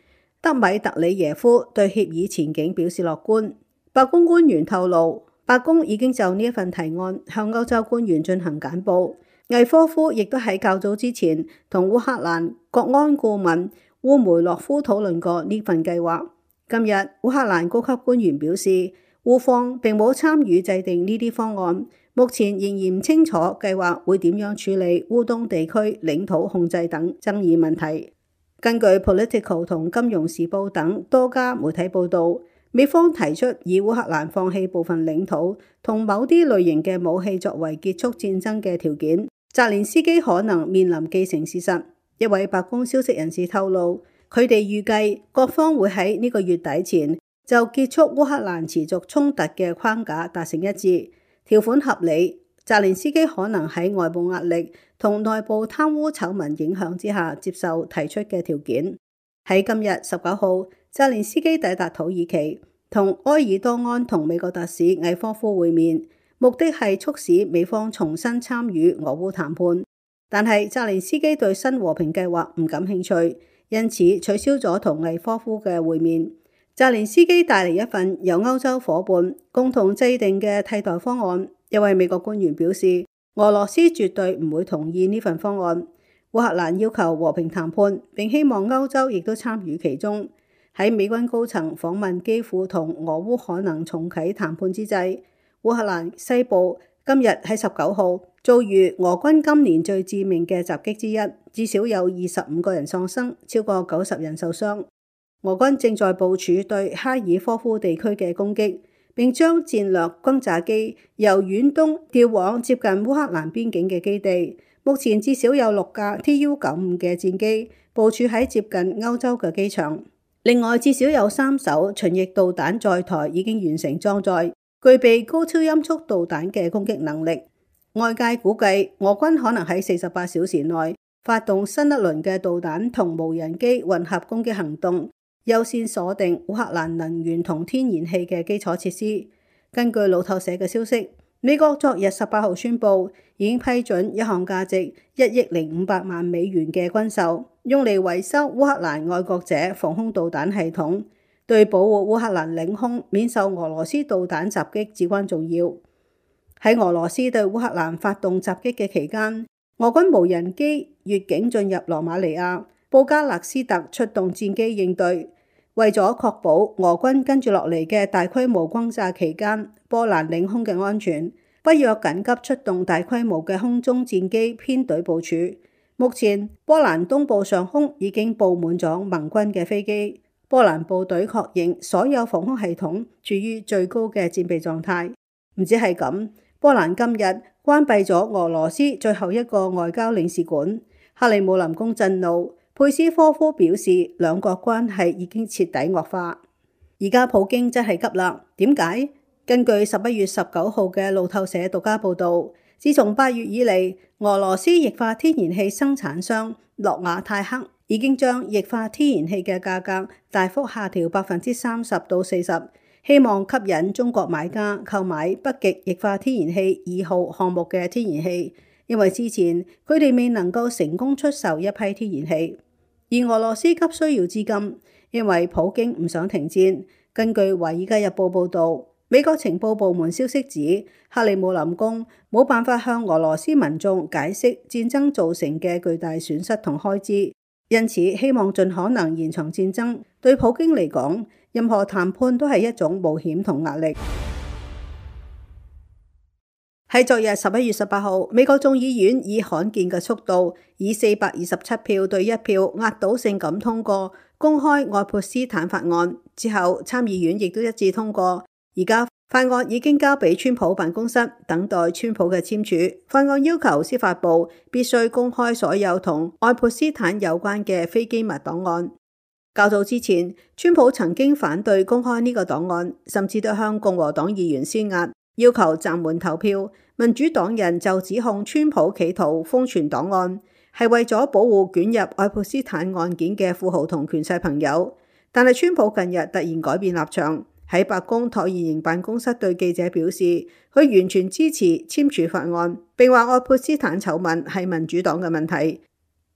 德米特里耶夫對協議前景表示樂觀。白宮官員透露，白宮已經就呢一份提案向歐洲官員進行簡報。魏科夫亦都喺較早之前同烏克蘭國安顧問烏梅洛夫討論過呢份計劃。今日烏克蘭高級官員表示，烏方並冇參與制定呢啲方案，目前仍然唔清楚計劃會點樣處理烏東地區領土控制等爭議問題。根據 Politico 同金融時報等多家媒體報道，美方提出以烏克蘭放棄部分領土同某啲類型嘅武器作為結束戰爭嘅條件，澤連斯基可能面臨既成事實。一位白宮消息人士透露，佢哋預計各方會喺呢個月底前就結束烏克蘭持續衝突嘅框架達成一致，條款合理。澤連斯基可能喺外部壓力同內部貪污醜聞影響之下接受提出嘅條件。喺今日19號，澤連斯基抵達土耳其，同埃爾多安同美國特使魏科夫會面，目的係促使美方重新參與俄烏談判。但係澤連斯基對新和平計劃唔感興趣，因此取消咗同魏科夫嘅會面。澤連斯基帶嚟一份由歐洲夥伴共同制定嘅替代方案。一位美國官員表示，俄羅斯絕對唔會同意呢份方案。烏克蘭要求和平談判，並希望歐洲亦都參與其中。喺美軍高層訪問基輔同俄烏可能重啟談判之際，烏克蘭西部今日喺19號遭遇俄軍今年最致命嘅襲擊之一，至少有25個人喪生，超過90人受傷。俄軍正在部署對哈爾科夫地區嘅攻擊，並將戰略轟炸機由遠東調往接近烏克蘭邊境嘅基地。目前至少有6架 Tu-95嘅戰機部署喺接近歐洲嘅機場。另外，至少有3艘巡弋導彈載台已經完成裝載，具備高超音速導彈嘅攻擊能力。外界估計，俄軍可能喺48小時內發動新一輪嘅導彈同無人機混合攻擊行動，優先鎖定烏克蘭能源同天然氣嘅基礎設施。根據路透社嘅消息，美國昨日18號宣布，已經批准一項價值1億0500萬美元嘅軍售，用嚟維修烏克蘭愛國者防空導彈系統，對保護烏克蘭領空免受俄羅斯導彈襲擊至關重要。喺俄羅斯對烏克蘭發動襲擊嘅期間，俄軍無人機越境進入羅馬尼亞，布加勒斯特出動戰機應對。為咗確保俄軍跟住落嚟嘅大規模轟炸期間波蘭領空嘅安全，北約緊急出動大規模嘅空中戰機編隊部署。目前波蘭東部上空已經佈滿咗盟軍嘅飛機。波蘭部隊確認所有防空系統處於最高嘅戰備狀態。唔止係咁，波蘭今日關閉咗俄羅斯最後一個外交領事館。克里姆林宮震怒，佩斯科夫表示兩國關係已經徹底惡化。而家普京真係急啦，點解？根據11月19號嘅路透社獨家報導，自從8月以嚟，俄羅斯液化天然氣生產商諾瓦泰克已經將液化天然氣嘅價格大幅下調30%到40%，希望吸引中國買家購買北極液化天然氣2號項目嘅天然氣，因為之前佢哋未能夠成功出售一批天然氣。而俄羅斯急需要資金，因為普京唔想停戰。根據《華爾街日報》報導，美國情報部門消息指，克里姆林宮冇辦法向俄羅斯民眾解釋戰爭造成嘅巨大損失同開支，因此希望盡可能延長戰爭。對普京嚟講，任何談判都係一種冒險同壓力。喺昨日11月18號，美國眾議院以罕見嘅速度，以427票對1票壓倒性咁通過公開愛潑斯坦法案。之後參議院亦都一致通過。而家法案已經交俾川普辦公室，等待川普嘅簽署。法案要求司法部必須公開所有同愛潑斯坦有關嘅非機密檔案。較早之前，川普曾經反對公開呢個檔案，甚至都向共和黨議員施壓，要求暫緩投票。民主黨人就指控川普企圖封存檔案，係為咗保護捲入愛潑斯坦案件嘅富豪同權勢朋友。但係川普近日突然改變立場，喺白宮橢圓形辦公室對記者表示，佢完全支持簽署法案，並話愛潑斯坦醜聞係民主黨嘅問題。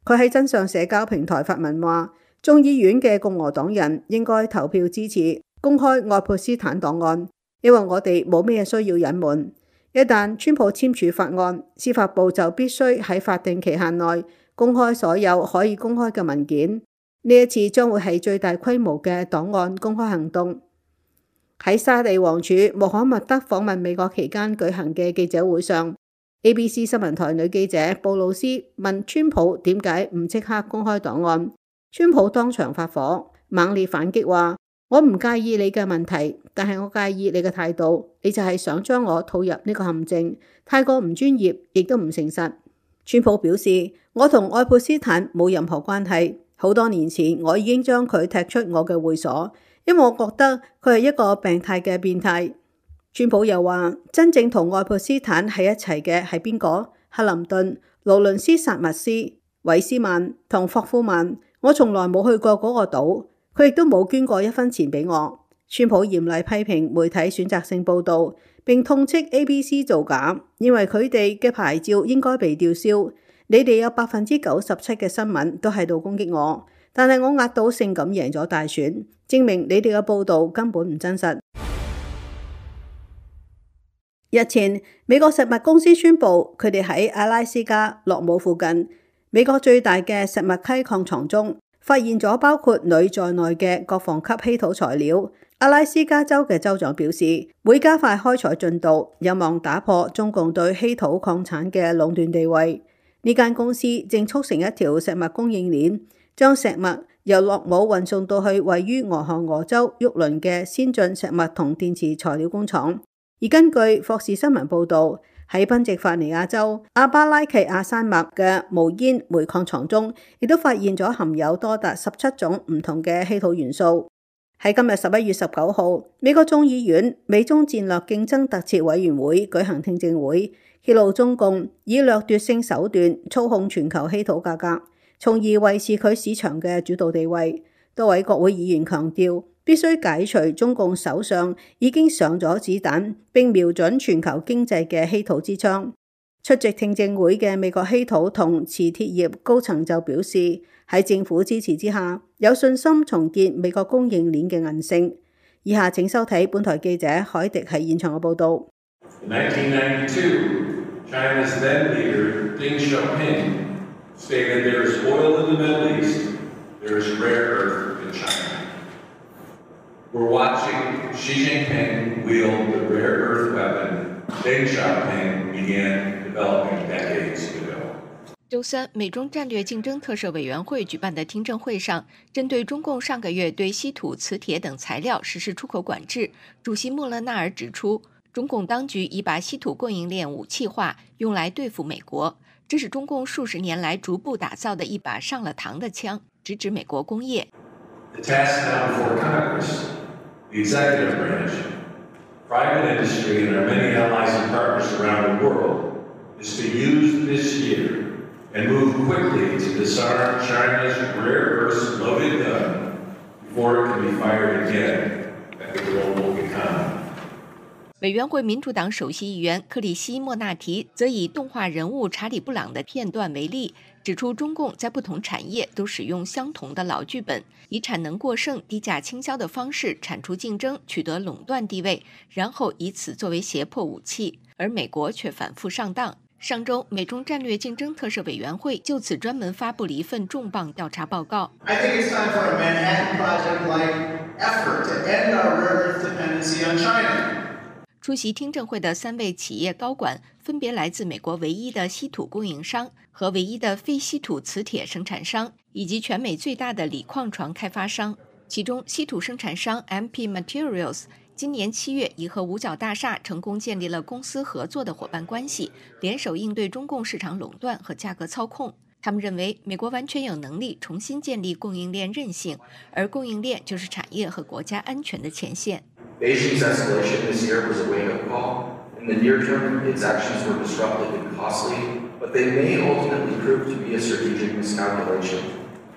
佢喺真相社交平台發文話，眾議院嘅共和黨人應該投票支持公開愛潑斯坦檔案，因為我哋冇咩需要隱瞞。一旦川普簽署法案，司法部就必須喺法定期限內公開所有可以公開嘅文件。呢一次將會係最大規模嘅檔案公開行動。喺沙地王儲穆罕默德訪問美國期間舉行嘅記者會上， ABC 新聞台女記者布魯斯問川普點解唔即刻公開檔案。川普當場發火，猛烈反擊話，我唔介意你嘅問題，但係我介意你嘅態度，你就係想將我套入呢個陷阱，太過唔專業，亦都唔誠實。川普表示，我同愛潑斯坦冇任何關係，好多年前我已經將佢踢出我嘅會所，因為我覺得佢係一個病態嘅變態。川普又話，真正同愛潑斯坦喺一齊嘅係邊個？克林頓、勞倫斯·薩默斯、韋斯曼同霍夫曼。我從來冇去過嗰個島，佢亦都冇捐過1分錢俾我。川普嚴厲批評媒體選擇性報導，並痛斥 ABC 造假，認為佢哋嘅牌照應該被吊銷。你哋有97%嘅新聞都喺度攻擊我，但係我壓倒性咁贏咗大選，證明你哋嘅報導根本唔真實。日前，美國石墨公司宣布，佢哋喺阿拉斯加洛姆附近美國最大嘅石墨溪礦床中發現咗包括鋁在內嘅各房級稀土材料。阿拉斯加州嘅州長表示，會加快開採進度，有望打破中共對稀土礦產嘅壟斷地位。呢間公司正促成一條石墨供應鏈，將石墨由洛姆運送到去位於俄亥俄州沃倫嘅先進石墨同電池材料工廠。而根據霍士新聞報導，喺賓夕法尼亞州阿巴拉契亞山脈嘅無煙煤礦床中，亦都發現咗含有多達17種唔同嘅稀土元素。喺今日11月19號，美國眾議院美中戰略競爭特設委員會舉行聽證會，揭露中共以掠奪性手段操控全球稀土價格，從而維持佢市場嘅主導地位。多位國會議員強調，必須解除中共手上已經上咗子彈並瞄準全球經濟嘅稀土之槍。出席聽證會嘅美國稀土同磁鐵業高層就表示，喺政府支持之下，有信心重建美國供應鏈嘅韌性。以下請收睇本台記者海迪喺現場嘅報導。In 1992, China's then leader Deng Xiaoping stated there is oil in the Middle East, there is rare earth in China. We're watching Xi Jinping wield the rare earth weapon Deng Xiaoping began developing decades ago. 周三，美中战略竞争特设委员会举办的听证会上，针对中共上个月对稀土、磁铁等材料实施出口管制，主席莫勒纳尔指出，中共当局已把稀土供应链武器化，用来对付美国，这是中共数十年来逐步打造的一把上了膛的枪，直指美国工业。The task now before Congress, the executive branch, private industry, and our many allies and partners around the world is to use this year and move quickly to disarm China's rare earth loaded gun before it can be fired again at the global economy. 委员会民主党首席议员克里希莫纳提则以动画人物查理·布朗的片段为例，指出中共在不同产业都使用相同的老剧本，以产能过剩、低价倾销的方式铲除竞争，取得垄断地位，然后以此作为胁迫武器，而美国却反复上当。上周，美中战略竞争特设委员会就此专门发布了一份重磅调查报告。I think it's time for a Manhattan Project-like effort to end our rare earth dependency on China. 出席听证会的3位企业高管分别来自美国唯一的稀土供应商和唯一的非稀土磁铁生产商，以及全美最大的锂矿床开发商。其中，稀土生产商 MP Materials 今年7月已和五角大厦成功建立了公司合作的伙伴关系，联手应对中共市场垄断和价格操控。他们认为，美国完全有能力重新建立供应链韧性，而供应链就是产业和国家安全的前线。Beijing's escalation this year was a wake-up call. In the near term, its actions were disruptive and costly, but they may ultimately prove to be a strategic miscalculation.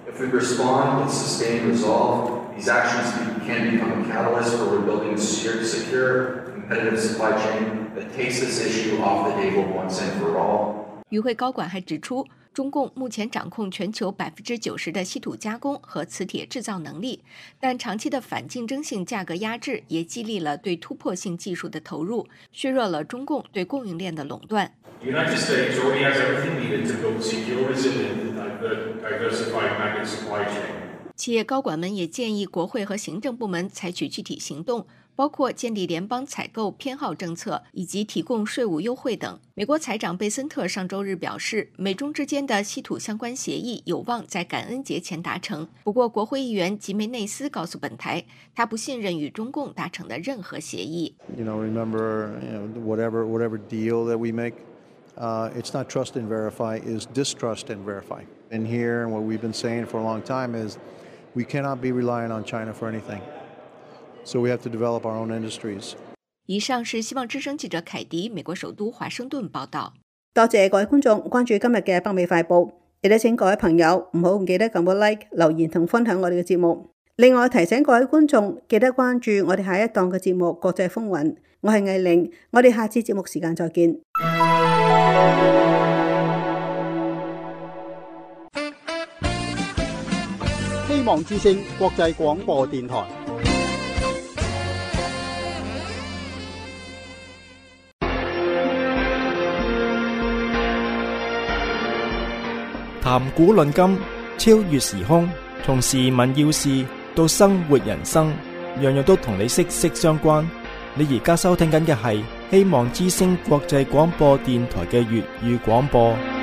If we respond with sustained resolve, these actions can become a catalyst for rebuilding a secure, competitive supply chain that takes this issue off the table once and for all. 与会高管还指出，中共目前掌控全球90%的稀土加工和磁铁制造能力，但长期的反竞争性价格压制也激励了对突破性技术的投入，削弱了中共对供应链的垄断。The United States already has everything needed to build a secure, resilient, and diversified magnet supply chain. 企业高管们也建议国会和行政部门采取具体行动，包括建立联邦采购偏好政策以及提供税务优惠等。美国财长贝森特上周日表示，美中之间的稀土相关协议有望在感恩节前达成。不过，国会议员吉梅内斯告诉本台，他不信任与中共达成的任何协议。Remember, whatever deal that we make, it's not trust and verify, is distrust and verify. And here, what we've been saying for a long time is, we cannot be relying on China for anything. So we have to develop our own industries. 以上是希望之聲記者凱迪美國首都華盛頓報道。多謝各位觀眾關注今日嘅北美快報，亦都請各位朋友唔好唔記得撳個 like、留言同分享我哋嘅節目。另外提醒各位觀眾記得關注我哋下一檔嘅節目《國際風雲》，我係藝玲，我哋下次節目時間再見。希望之聲國際廣播電台。談古論今，超越時空，從時聞要事到生活人生，樣樣都同你息息相關。你而家收聽緊嘅係希望之聲國際廣播電台嘅粵語廣播。